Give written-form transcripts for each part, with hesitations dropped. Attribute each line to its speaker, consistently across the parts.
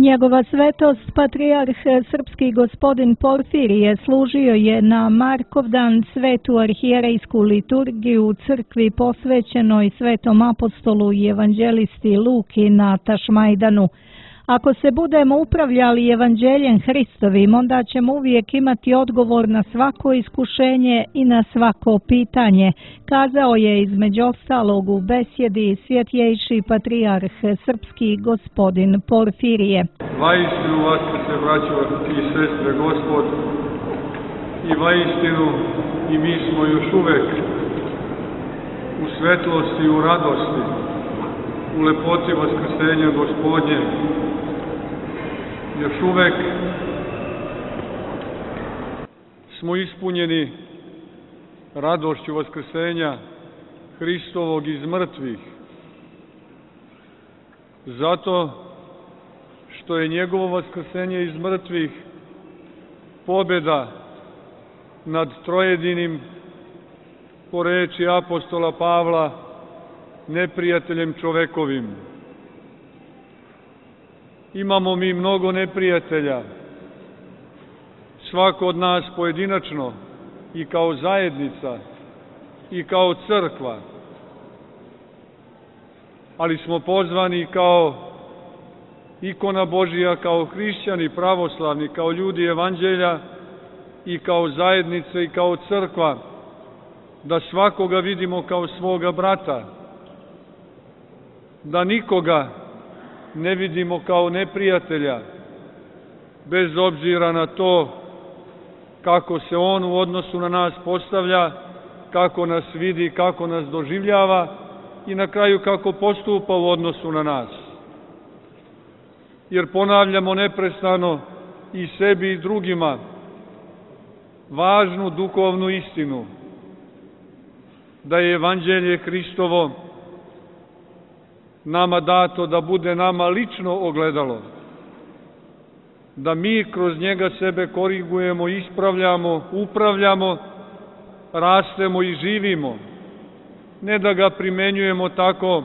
Speaker 1: Njegova svetost, patrijarh srpski gospodin Porfirije, služio je na Markovdan svetu arhijerejsku liturgiju u crkvi posvećenoj svetom apostolu i evanđelisti Luki na Tašmajdanu. Ako se budemo upravljali evanđeljem Hristovim, onda ćemo uvijek imati odgovor na svako iskušenje i na svako pitanje, kazao je između ostalog u besjedi svjetljejši patrijarh srpski gospodin Porfirije.
Speaker 2: Vaistinu vaskrse, braćo i sestre, Gospod, i vaistinu i mi smo još uvek u svetlosti i u radosti, u lepoti vaskrsenja Gospodnje. Još uvek smo ispunjeni radošću vaskrsenja Hristovog iz mrtvih, zato što je njegovo vaskrsenje iz mrtvih pobjeda nad trojedinim, po reči apostola Pavla, neprijateljem čovekovim. Imamo mi mnogo neprijatelja, svako od nas pojedinačno i kao zajednica i kao crkva, ali smo pozvani kao ikona Božija, kao hrišćani pravoslavni, kao ljudi evanđelja i kao zajednica i kao crkva, da svakoga vidimo kao svoga brata, da nikoga ne vidimo kao neprijatelja, bez obzira na to kako se on u odnosu na nas postavlja, kako nas vidi, kako nas doživljava i na kraju kako postupa u odnosu na nas. Jer ponavljamo neprestano i sebi i drugima važnu duhovnu istinu, da je evanđelje Hristovo nama dato da bude nama lično ogledalo, da mi kroz njega sebe korigujemo, ispravljamo, upravljamo, rastemo i živimo, ne da ga primenjujemo tako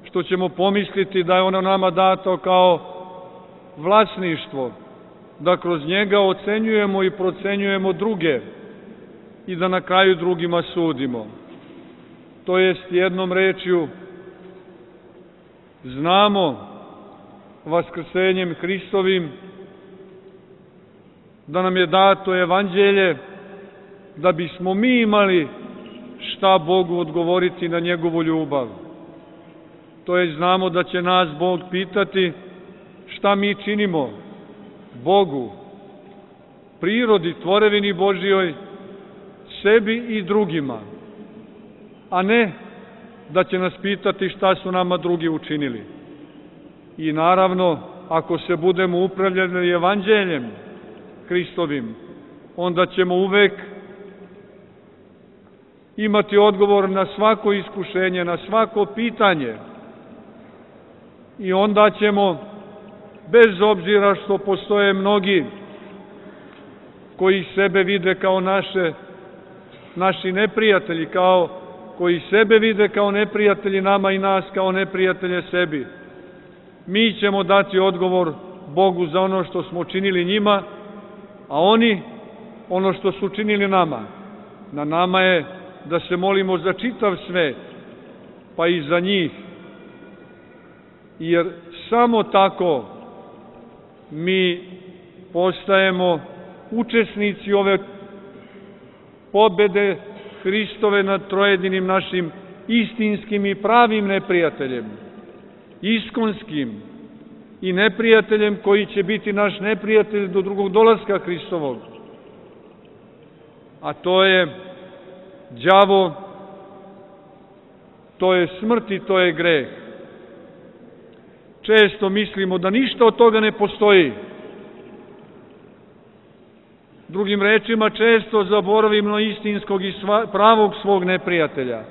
Speaker 2: što ćemo pomisliti da je ono nama dato kao vlasništvo, da kroz njega ocenjujemo i procenjujemo druge i da na kraju drugima sudimo. To jest, jednom rečju, znamo vaskrsenjem Hristovim da nam je dato evanđelje da bismo mi imali šta Bogu odgovoriti na njegovu ljubav. To je, znamo da će nas Bog pitati šta mi činimo Bogu, prirodi, tvorevini Božjoj, sebi i drugima, a ne da će nas pitati šta su nama drugi učinili. I naravno, ako se budemo upravljali evanđeljem Hristovim, onda ćemo uvek imati odgovor na svako iskušenje, na svako pitanje. I onda ćemo, bez obzira što postoje mnogi koji sebe vide kao naši neprijatelji, koji sebe vide kao neprijatelji nama i nas kao neprijatelje sebi, mi ćemo dati odgovor Bogu za ono što smo činili njima, a oni ono što su činili nama. Na nama je da se molimo za čitav svet, pa i za njih, jer samo tako mi postajemo učesnici ove pobede Hristove nad trojedinim našim istinskim i pravim neprijateljem, iskonskim i neprijateljem koji će biti naš neprijatelj do drugog dolaska Hristovog. A to je đavo, to je smrt i to je greh. Često mislimo da ništa od toga ne postoji. Drugim rečima, često zaboravimo istinskog i pravog svog neprijatelja,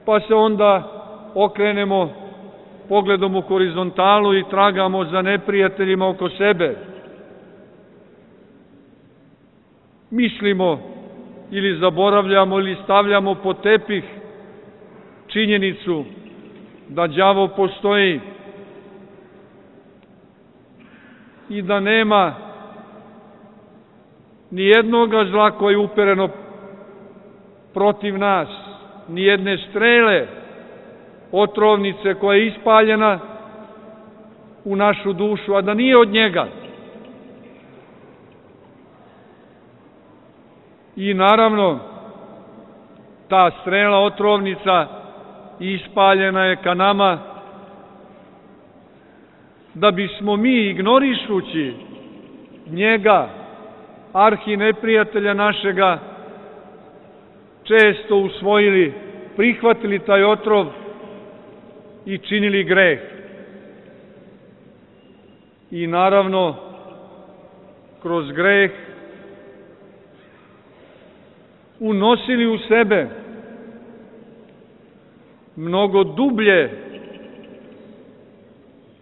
Speaker 2: pa se onda okrenemo pogledom u horizontalu i tragamo za neprijateljima oko sebe. Mislimo ili zaboravljamo ili stavljamo pod tepih činjenicu da đavo postoji i da nema ni jednoga zla koje je upereno protiv nas, ni jedne strele, otrovnice koja je ispaljena u našu dušu, a da nije od njega. I naravno, ta strela otrovnica ispaljena je ka nama, da bismo mi, ignorišući njega, arhineprijatelja našega, često usvojili, prihvatili taj otrov i činili greh. I naravno, kroz greh unosili u sebe mnogo dublje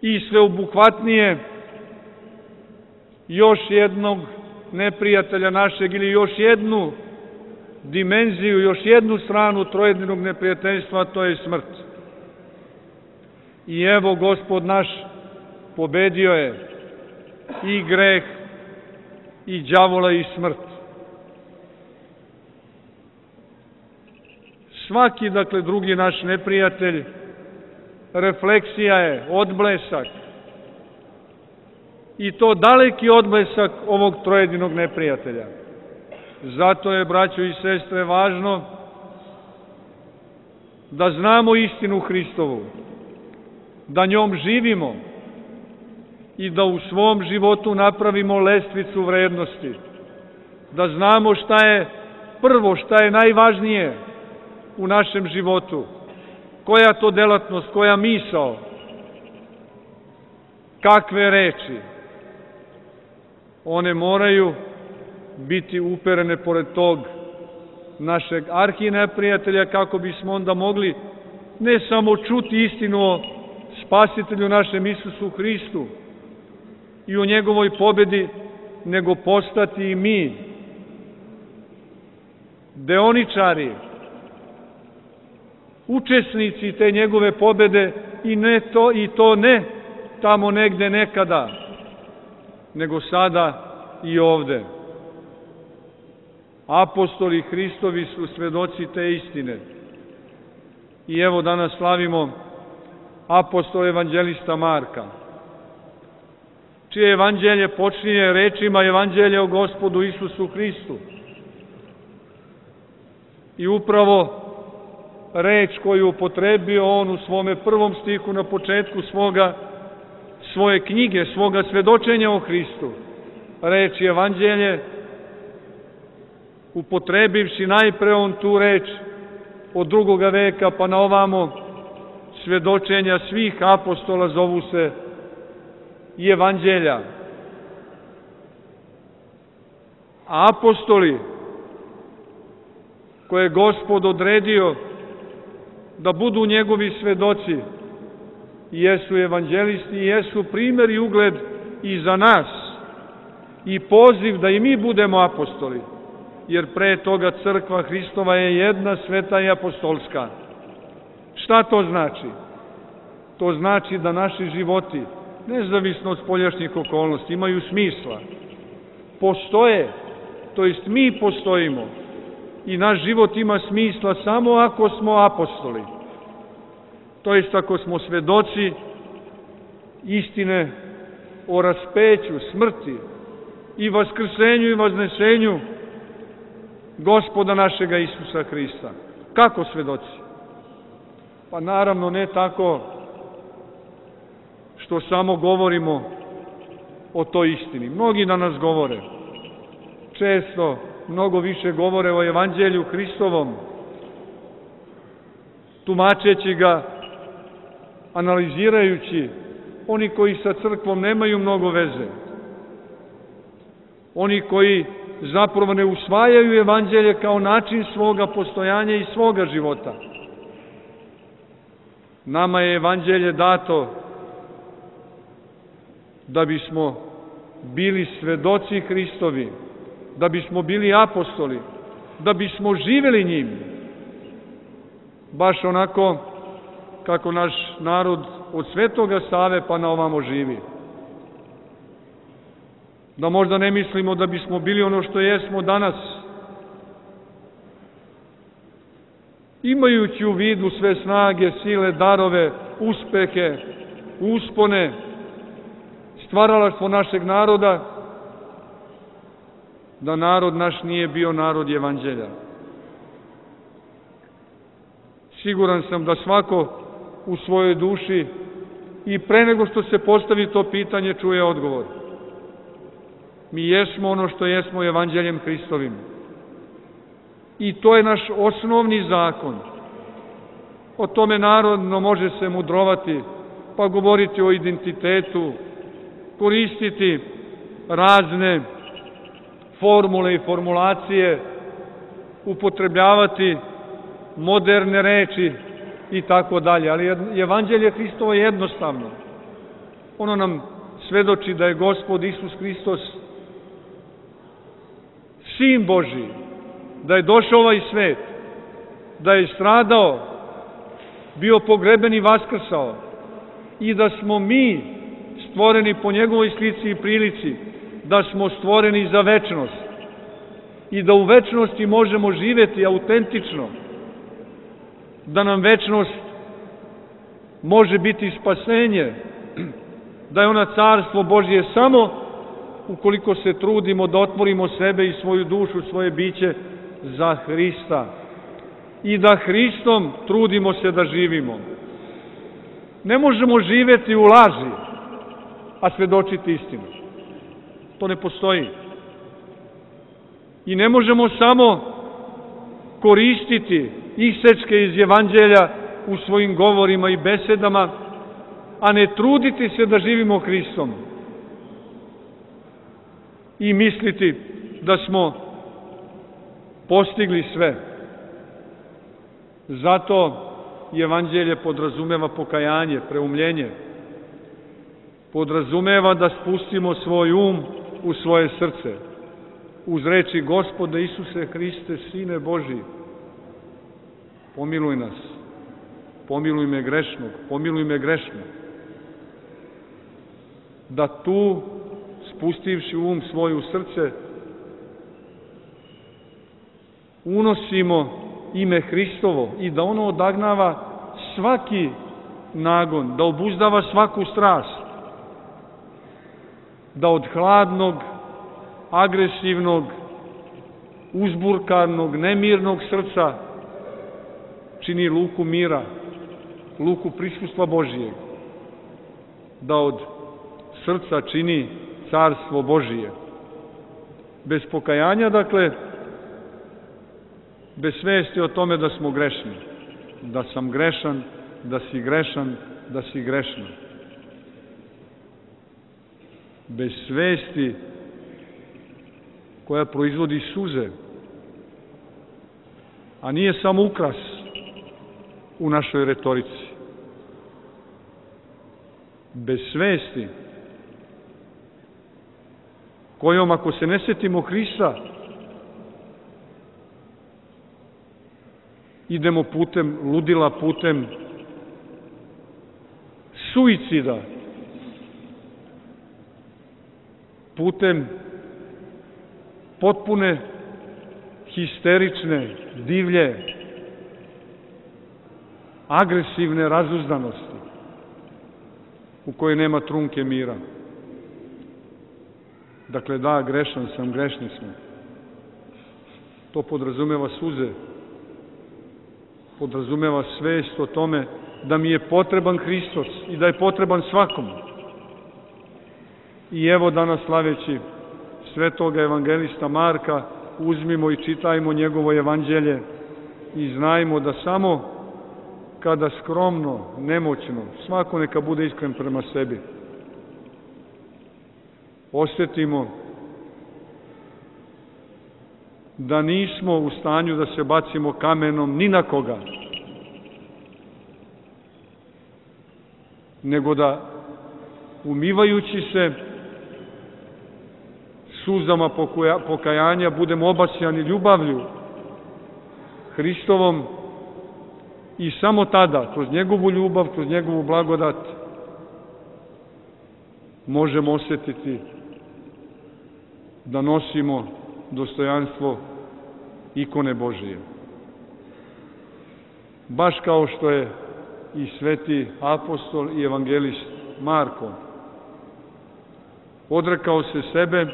Speaker 2: i sveobuhvatnije još jednog neprijatelja našeg ili još jednu dimenziju, još jednu stranu trojedinog neprijateljstva, to je smrt. I evo, Gospod naš pobedio je i greh, i đavola, i smrt. Svaki, dakle, drugi naš neprijatelj, refleksija je, odblesak, i to daleki odblesak ovog trojedinog neprijatelja. Zato je, braćo i sestre, važno da znamo istinu Hristovu, da njom živimo i da u svom životu napravimo lestvicu vrednosti, da znamo šta je prvo, šta je najvažnije u našem životu, koja to delatnost, koja misao, kakve reči. One moraju biti uperene pored tog našeg arhineprijatelja, kako bismo onda mogli ne samo čuti istinu o Spasitelju našem Isusu Hristu i o njegovoj pobedi, nego postati i mi deoničari, učesnici te njegove pobede, i to ne tamo negde nekada, nego sada i ovde. Apostoli Hristovi su svedoci te istine. I evo, danas slavimo apostola evanđelista Marka, čije evanđelje počinje rečima evanđelja o Gospodu Isusu Hristu. I upravo reč koju upotrebio on u svome prvom stihu na početku svoje knjige, svoga svedočenja o Hristu, reč evanđelje, upotrebivši najpre on tu reč od 2. veka pa na ovamo, svedočenja svih apostola zovu se i evanđelja. A apostoli koje je Gospod odredio da budu njegovi svedoci, jesu evanđelisti, jesu primjer i ugled i za nas, i poziv da i mi budemo apostoli, jer pre toga crkva Hristova je jedna, sveta i apostolska. Šta to znači? To znači da naši životi, nezavisno od spoljašnjih okolnosti, imaju smisla, postoje, to jest mi postojimo, i naš život ima smisla samo ako smo apostoli, to jest ako smo svedoci istine o raspeću, smrti i vaskrsenju i vaznesenju Gospoda našega Isusa Hrista. Kako svedoci? Pa naravno ne tako što samo govorimo o toj istini. Mnogi danas govore, često mnogo više govore o evanđelju Hristovom, tumačeći ga, analizirajući, oni koji sa crkvom nemaju mnogo veze, oni koji zapravo ne usvajaju evanđelje kao način svoga postojanja i svoga života. Nama je evanđelje dato da bismo bili svedoci Hristovi, da bismo bili apostoli, da bismo živeli njim, baš onako kako naš narod od Svetoga Save pa na ovamo živi. Da možda ne mislimo da bismo bili ono što jesmo danas, imajući u vidu sve snage, sile, darove, uspehe, uspone, stvaralaštvo našeg naroda, da narod naš nije bio narod evanđelja. Siguran sam da svako u svojoj duši i pre nego što se postavi to pitanje čuje odgovor. Mi jesmo ono što jesmo evanđeljem Hristovim. I to je naš osnovni zakon. O tome narodno može se mudrovati, pa govoriti o identitetu, koristiti razne formule i formulacije, upotrebljavati moderne reči i tako dalje. Ali evanđelje Hristovo je jednostavno. Ono nam svedoči da je Gospod Isus Hristos Sin Božiji, da je došao ovaj svet, da je stradao, bio pogreben i vaskrsao i da smo mi stvoreni po njegovoj slici i prilici, da smo stvoreni za večnost i da u večnosti možemo živjeti autentično, da nam večnost može biti spasenje, da je ona carstvo Božje samo ukoliko se trudimo da otvorimo sebe i svoju dušu, svoje biće za Hrista i da Hristom trudimo se da živimo. Ne možemo živjeti u laži, a svedočiti istinu. To ne postoji. I ne možemo samo koristiti isečke iz evanđelja u svojim govorima i besedama, a ne truditi se da živimo Hristom i misliti da smo postigli sve. Zato evanđelje podrazumeva pokajanje, preumljenje. Podrazumeva da spustimo svoj um u svoje srce uz reči: Gospode Isuse Hriste, Sine Božji, pomiluj nas, pomiluj me grešnog, pomiluj me grešno. Da tu, spustivši um svoj u srce, unosimo ime Hristovo i da ono odagnava svaki nagon, da obuzdava svaku strast, da od hladnog, agresivnog, uzburkanog, nemirnog srca čini luku mira, luku prisustva Božijeg, da od srca čini carstvo Božije. Bez pokajanja, dakle, bez svesti o tome da smo grešni, da sam grešan, da si grešan, da si grešna. Bez svesti koja proizvodi suze, a nije samo ukras u našoj retorici. Bez svesti kojom, ako se ne sjetimo Hrista, idemo putem ludila, putem suicida, putem potpune histerične, divlje, agresivne razuzdanosti u kojoj nema trunke mira. Dakle, da, grešan sam, grešni smo. To podrazumeva suze, podrazumeva svest o tome da mi je potreban Hristos i da je potreban svakom. I evo danas, slaveći svetoga evangelista Marka, uzmimo i čitajmo njegovo evanđelje i znajmo da samo kada skromno, nemoćno, svako neka bude iskren prema sebi, osjetimo da nismo u stanju da se bacimo kamenom ni na koga, nego da, umivajući se suzama pokajanja, budemo obasjani ljubavlju Hristovom i samo tada, kroz njegovu ljubav, kroz njegovu blagodat, možemo osjetiti da nosimo dostojanstvo ikone Božije. Baš kao što je i sveti apostol i evangelist Marko odrekao se sebe,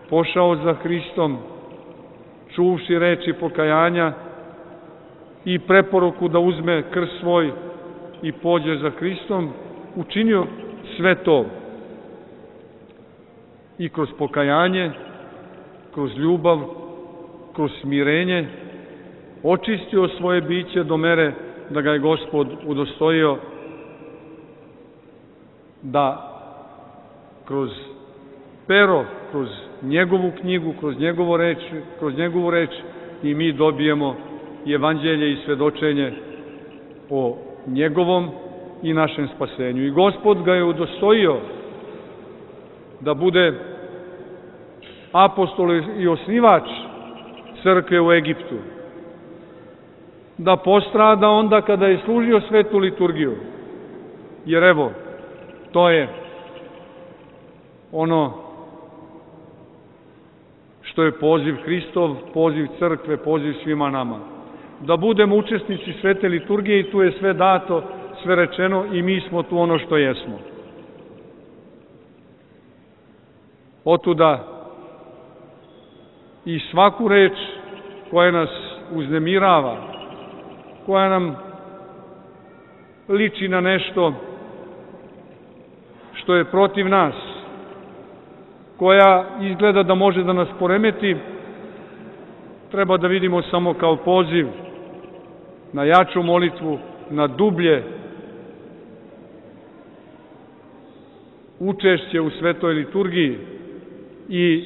Speaker 2: pošao za Hristom, čuvši reči pokajanja i preporuku da uzme krst svoj i pođe za Hristom, učinio sve to. I kroz pokajanje, kroz ljubav, kroz smirenje, očistio svoje biće do mere da ga je Gospod udostojio da kroz pero, kroz njegovu knjigu, kroz njegovu reč i mi dobijemo i evanđelje i svedočenje o njegovom i našem spasenju. I Gospod ga je udostojio da bude apostol i osnivač crkve u Egiptu, da postrada onda kada je služio svetu liturgiju, jer evo, to je ono što je poziv Hristov, poziv crkve, poziv svima nama. Da budemo učesnici svete liturgije i tu je sve dato, sve rečeno i mi smo tu ono što jesmo. Otuda i svaku reč koja nas uznemirava, koja nam liči na nešto što je protiv nas, koja izgleda da može da nas poremeti, treba da vidimo samo kao poziv na jaču molitvu, na dublje učešće u svetoj liturgiji i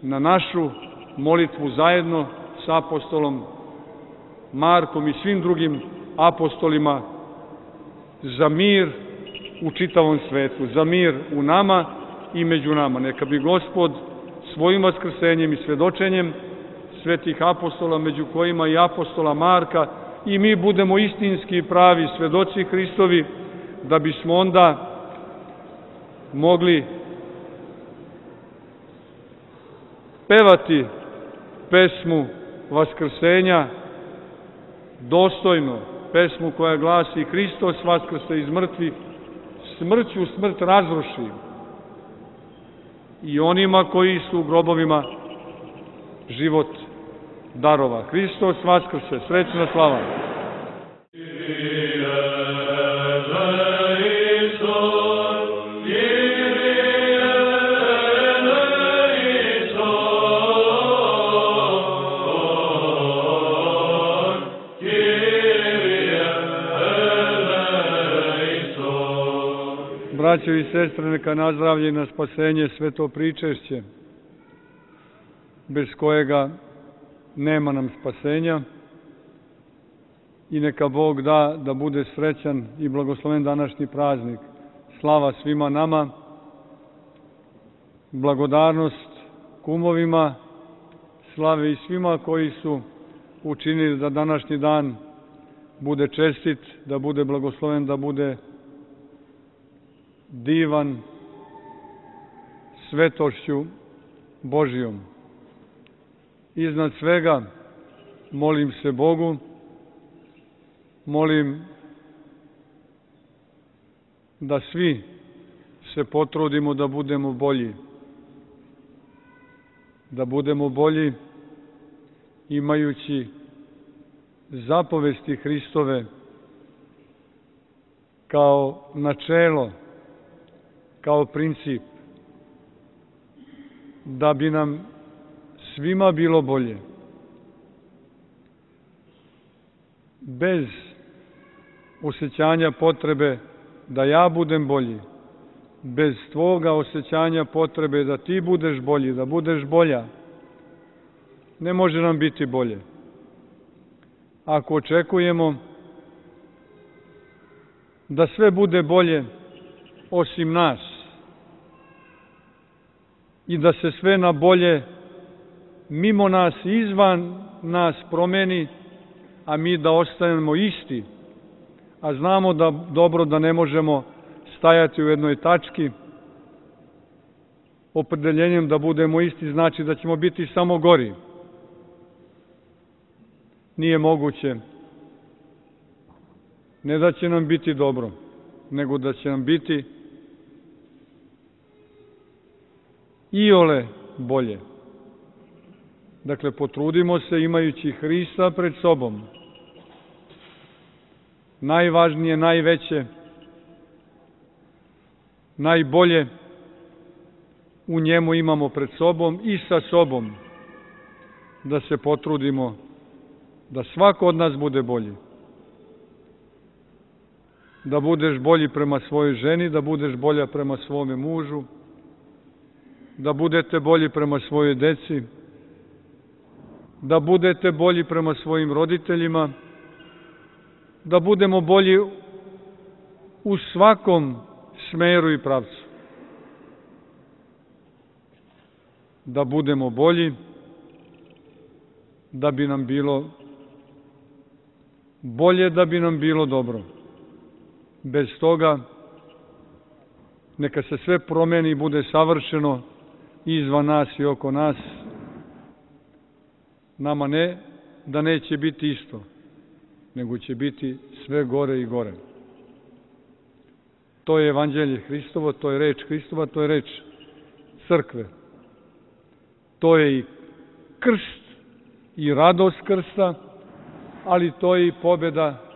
Speaker 2: na našu molitvu zajedno sa apostolom Markom i svim drugim apostolima za mir u čitavom svetu, za mir u nama i među nama. Neka bi Gospod svojim vaskrsenjem i svedočenjem svetih apostola, među kojima i apostola Marka, i mi budemo istinski i pravi svedoci Hristovi, da bismo onda mogli pevati pesmu vaskrsenja dostojno, pesmu koja glasi: Hristos vaskrse iz mrtvih, smrću smrt razruši, i onima koji su u grobovima život darova. Hristos vaskrse, srećna slava! Braćo i sestre, neka nazdravlje i na spasenje sveto pričešće, bez kojega nema nam spasenja, i neka Bog da bude srećan i blagosloven današnji praznik. Slava svima nama, blagodarnost kumovima, slave i svima koji su učinili da današnji dan bude čestit, da bude blagosloven, da bude divan svetošću Božijom. Iznad svega molim se Bogu, molim da svi se potrudimo da budemo bolji. Da budemo bolji imajući zapovesti Hristove kao načelo, kao princip, da bi nam svima bilo bolje. Bez osjećanja potrebe da ja budem bolji, bez tvoga osjećanja potrebe da ti budeš bolji, da budeš bolja, ne može nam biti bolje. Ako očekujemo da sve bude bolje osim nas i da se sve na bolje mimo nas i izvan nas promeni, a mi da ostanemo isti, a znamo da ne možemo stajati u jednoj tački, opredeljenjem da budemo isti znači da ćemo biti samo gori. Nije moguće. Ne da će nam biti dobro, nego da će nam biti iole bolje. Dakle, potrudimo se imajući Hrista pred sobom. Najvažnije, najveće, najbolje u njemu imamo pred sobom i sa sobom, da se potrudimo da svako od nas bude bolji. Da budeš bolji prema svojoj ženi, da budeš bolja prema svome mužu, da budete bolji prema svojoj deci, da budete bolji prema svojim roditeljima, da budemo bolji u svakom smeru i pravcu. Da budemo bolji, da bi nam bilo bolje, da bi nam bilo dobro. Bez toga neka se sve promeni i bude savršeno izvan nas i oko nas. Nama ne da neće biti isto, nego će biti sve gore i gore. To je evanđelje Hristovo, to je reč Hristova, to je reč crkve. To je i krst i radost krsta, ali to je i pobjeda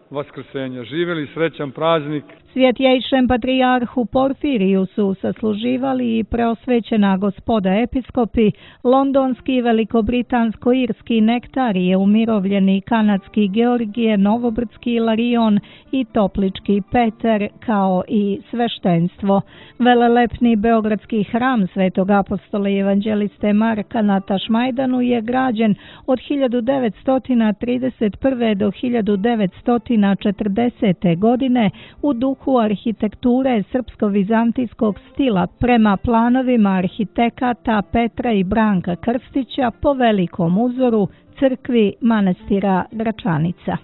Speaker 2: vaskrsenja. Živeli srećan praznik.
Speaker 1: Svjetjejšem patrijarhu Porfiriju su sasluživali i preosvećena gospoda episkopi, londonski, velikobritansko-irski nektarije, umirovljeni kanadski Georgije, novobrdski Ilarion i toplički Peter, kao i sveštenstvo. Velelepni beogradski hram Svetog apostola i evanđeliste Marka na Tašmajdanu je građen od 1931. do 1940. godine u duhu arhitekture srpsko-vizantijskog stila prema planovima arhitekata Petra i Branka Krstića po velikom uzoru crkvi manastira Gračanica.